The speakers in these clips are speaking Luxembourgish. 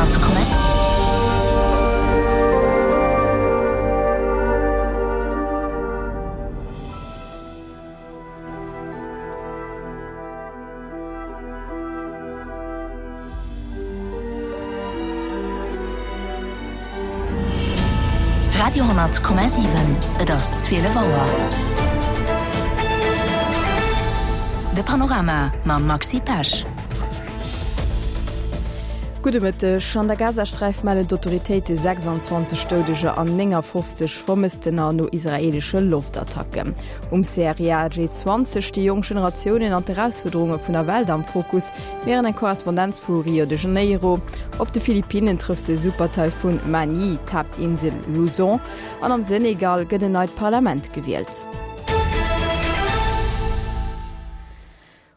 Radio,7. Radio,7 Et ass 12 Auer. De Panorama mam Maxi Pesch. Gudde Mëtteg. An der Gazasträif mellen d'Autoritéite 26 Doudeger an 59 Vermësstener no israeelesche Loftattacken. Um CRIA G20 sti jonk Generatiounen an d'Erausfuerderunge vun der Welt am Fokus, mir héieren eng Korrespondenz vu Rio de Janeiro. Op de Philippinnen trëfft de Supertaifun Man-Yi d'Haaptinsel Luzon an am Senegal gëtt en neit Parlament gewielt.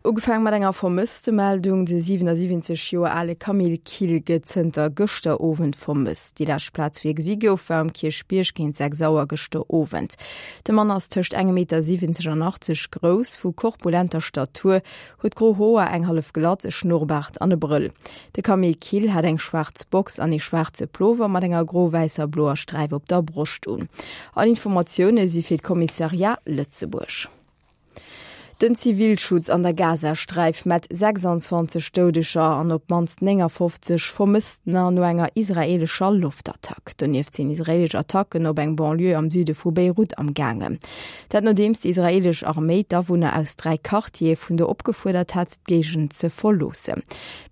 Ugefaang mat enger Vermësstemeldung, De 77 Joer ale Camille Kill gëtt zënter gëschter Owend vermësst. Déi lescht Plaz, wou hie gesi gouf, war um Kierchbierg géint 6 Auer gëschter Owend. De Mann ass tëscht engem Meter 70 an 80 grouss, vu korpulenter Statur, huet gro Hoer, eng hallef Glatz, e Schnurrbaart an e Brëll. De Camille Kill hat eng schwaarz Box an ee schwaarze Plover mat enger gro-wäisser-bloer Sträif op der Broscht un. All Informatioune si fir d'Kommissariat Lëtzebuerg. Den Zivilschutz an der Gazasträif mellt 26 Doudeger an op d'mannst 59 Vermësstener no enger israeelescher Loftattack. Donieft sinn israeelesch Attacken op eng Banlieue am Süde vu Beirut am gaangen. Dat nodeems déi israeelesch Arméi d'Awunner aus 3 Quartiere vun do opgefuerdert hat, d'Géigend ze verloossen.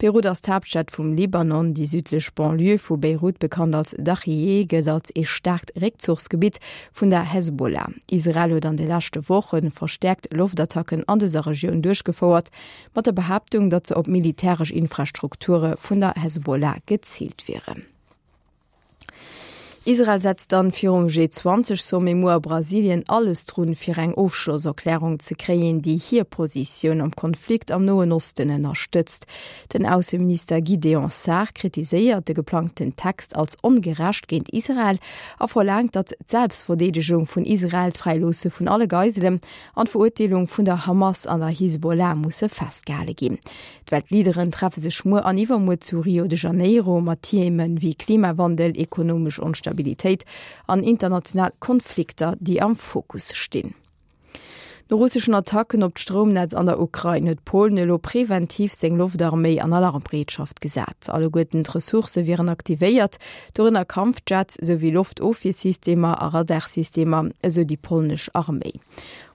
Beirut ass d'Haaptstad vum Libanon. Déi südlech Banlieue vu Beirut, bekannt als Dachiyeh, gëllt als ee staarkt Réckzuchsgebitt vun der Hezbollah. Israel huet an de leschte Woche verstäerkt Loftattacken an dëser Regioun duerchgefouert, mat der Behaaptung, datt se op militäresch Infrastrukture vun der Hezbollah geziilt wieren. Israel setzt dann virum G20-Sommet muer a Brasilien alles drun, fir eng Ofschlosserklärung ze kréien, déi hir Positioun am Konflikt am Noen Osten ënnerstëtzt. Den Ausseminister Gideon Saar kritiséiert de geplangten Text als ongerecht géint Israel a verlaangt, datt d'Selbstverdeedegung vun Israel, d'Fräiloosse vun alle Geiselen an d'Verurteelung vun der Hamas an der Hisbollah musse festgehale ginn. D'Weltleaderen treffe sech muer an iwwermuer zu Rio de Janeiro mat Theeme wéi Klimawandel, ekonomesch Onstabilitéit an international Konflikter, déi am Fokus stinn. No russeschen Attacken op d'Stroumnetz an der Ukrain huet Polen elo preventiv seng Loftarméi an Alarmbereetschaft gesat. Alleguerten d'Ressourcë wieren aktivéiert, dorënner Kampfjets esou wéi Loftofwiersystemer a Radarsystemer, esou déi polnesch Arméi.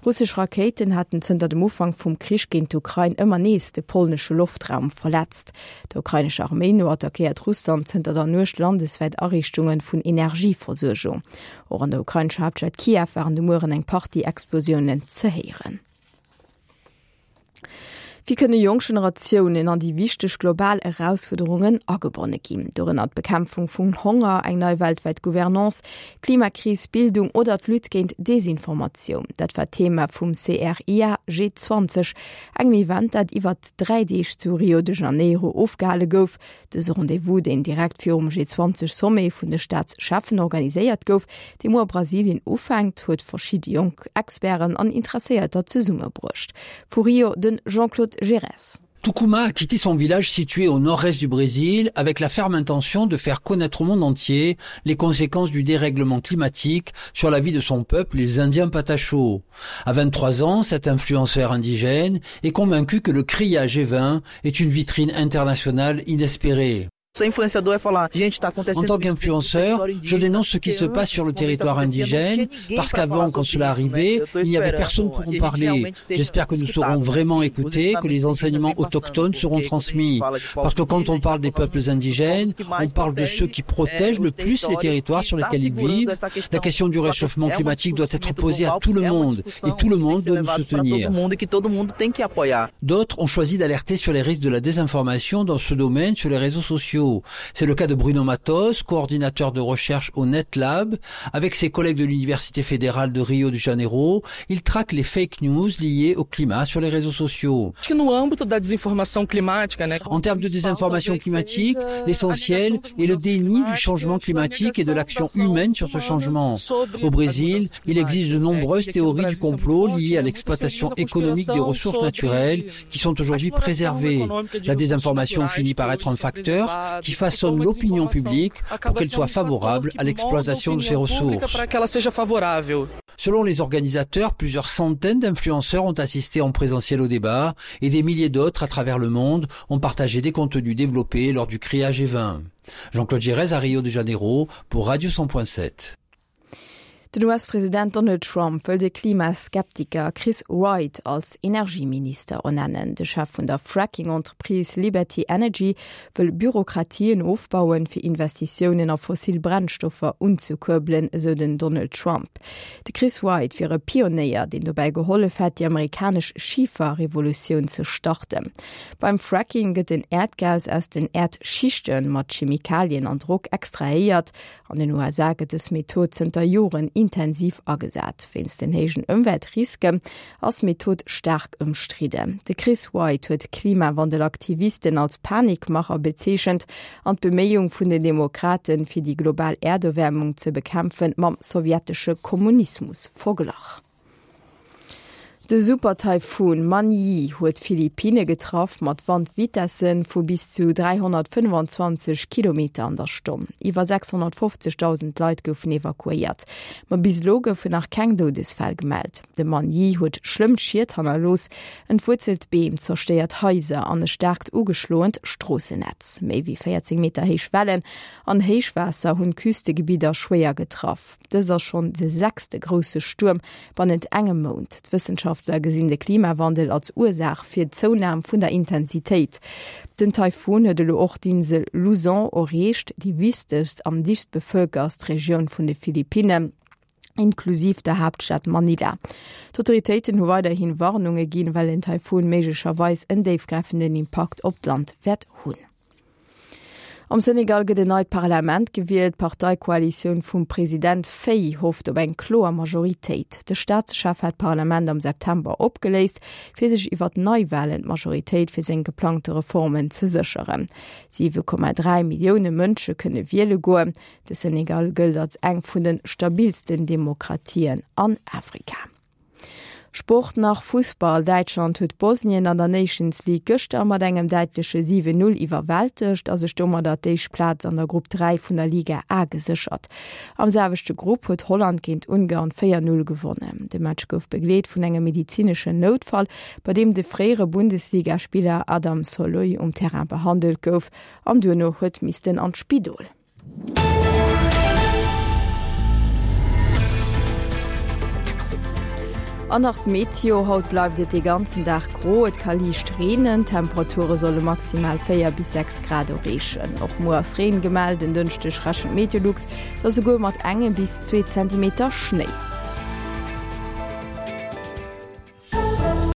Russesch Rakéiten haten zënter dem Ufank vum Krich géint d'Ukrain ëmmer nees de polnesche Loftraum verletzt. Der ukrainescher Arméi no attackéiert Russland zënter der Nuecht landeswäit Ariichtunge vun Energieversuergung. Och an der ukrainescher Haaptstad Kiew waren de Mueren eng Partie Explosiounen ze héieren. Wéi kënne jonk Generatiounen an déi wichteg global Erausfuerderungen agebonne ginn? Dorënner d'Bekämpfung vum Honger, eng nei weltwäit Gouvernance, d'Klimakris, Bildung oder d'Lutte géint Desinformatioun. Dat war d'Thema vum CRIA G20, engem Event, dat iwwert 3 Deeg zu Rio de Janeiro ofgehale gouf. Dëse Rendez-vous, deen direkt virum G20-Sommet vun de Staatscheffen organiséiert gouf, dee muer a Brasilien ufänkt, huet verschidde jonk Experten an Interesséierter zesummebruecht. Vu Rio de Jean-Claude Giresse. Tukuma a quitté son village situé au nord-est du Brésil avec la ferme intention de faire connaître au monde entier les conséquences du dérèglement climatique sur la vie de son peuple, les Indiens Patachos. À 23 ans, cet influenceur indigène est convaincu que le cria G20 est une vitrine internationale inespérée. En tant qu'influenceur, je dénonce ce qui se passe sur le territoire indigène parce qu'avant quand cela arrivait, il n'y avait personne pour en parler. J'espère que nous serons vraiment écoutés, que les enseignements autochtones seront transmis. Parce que quand on parle des peuples indigènes, on parle de ceux qui protègent le plus les territoires sur lesquels ils vivent. La question du réchauffement climatique doit être posée à tout le monde et tout le monde doit nous soutenir. D'autres ont choisi d'alerter sur les risques de la désinformation dans ce domaine sur les réseaux sociaux. C'est le cas de Bruno Matos, coordinateur de recherche au NetLab. Avec ses collègues de l'Université fédérale de Rio de Janeiro, il traque les fake news liées au climat sur les réseaux sociaux. En termes de désinformation climatique, l'essentiel est le déni du changement climatique et de l'action humaine sur ce changement. Au Brésil, il existe de nombreuses théories du complot liées à l'exploitation économique des ressources naturelles qui sont aujourd'hui préservées. La désinformation finit par être un facteur. qui façonne l'opinion publique pour qu'elle soit favorable à l'exploitation de ces ressources. Selon les organisateurs, plusieurs centaines d'influenceurs ont assisté en présentiel au débat et des milliers d'autres à travers le monde ont partagé des contenus développés lors du criage G20. Jean-Claude Gérez à Rio de Janeiro pour Radio 100.7. Den US-President Donald Trump wëll de Klimaskeptiker Chris Wright als Energieminister ernennen. De Chef vun der Fracking-Entreprise Liberty Energy wëll Bürokratien ofbauen, fir Investitiounen a fossil Brennstoffer unzekuerbelen, esou den Donald Trump. De Chris Wright wier e Pionéier, deen dobäi gehollef hätt, déi amerikanesch Schiferrevolutioun ze starten. Beim Fracking gëtt den Äerdgas aus den Äerdschichte mat Chemikalien an Drock extrahéiert An den USA gëtt dës Method zënter Joren intensiv agesat. Wéinst den héijen Ëmweltriske ass d'Method staark ëmstridden. De Chris White huet Klimawandelaktivisten als Panikmacher bezeechent an d'Beméiung vun den Demokraten, fir déi global Äerderwäermung ze bekämpfen, mam sowjetesche Kommunismus verglach. De Super-Taifun Man-Yi huet d'Philippinne getraff, mat Wandvitesse vu bis zu 325 Kilometer an der Stonn. Iwwer 650.000 Leit goufen evakuéiert, ma bis elo goufen nach keng Doudesfäll gemellt. De Man-Yi huet schlëmm Schied hannerlooss, entwuerzelt Beem, zerstéiert Haiser an e staarkt ugeschloent Stroossennetz. Méi wéi 14 Meter héich Wellen an Héichwaasser hunn d'Küstegebidder schwéier getraff. Dëst ass schonn de sechste grousse Stuerm bannent engem Mount. D'Wëssenschaftler gesinn de Klimawandel als Ursaach fir d'Zounam vun der Intensitéit. Den Taifun huet elo och d'Insel Luzon erreecht, déi wichtegst am dichtst bevëlkerst Regioun vun de Philippinnen, inklusiv der Haaptstad Manila. D'Autoritéiten hu weiderhi Warnunge ginn, well den Taifun méiglecherweis en déifgräifenden Impakt op d'Land wäert hunn. Am Senegal gëtt en neit Parlament gewielt. D'Parteikoalitioun vum President Faye hofft op eng kloer Majoritéit. De Staatschef hat d'Parlament am September opgeléist, fir sech iwwer Neiwalen d'Majoritéit fir seng geplangte Reformen ze sécheren. 7,3 Millioune Mënsche kënne wiele goen. De Senegal gëllt als eng vun de stabilsten Demokratien an Afrika. Sport nach Fussball, Däitschland huet Bosnien an der Nations League gëschter mat engem däitleche 7, 0 iwwerwältegt a sech domadder d'éischt Plaz an der Grupp 3 vun der Liga A geséchert. Am selwechte Grupp huet Holland géint Ungarn 4, 0 gewonnen. De Match gouf begleet vun engem medezineschen Noutfall, bei deem de fréiere Bundesligaspiller Adam Szalai um Terrain behandelt gouf an duerno huet missten an d'Spidol. An nach d'Meteo, Haut bleift et de ganzen Dag gro, et ka liicht reenen. D'Temperature solle maximal 4 bis 6 Grad erreechen. Och muer ass Reen gemellt, en Dënschdeg rechent Meteolux da souguer mat engem bis zwee Zentimeter Schnéi.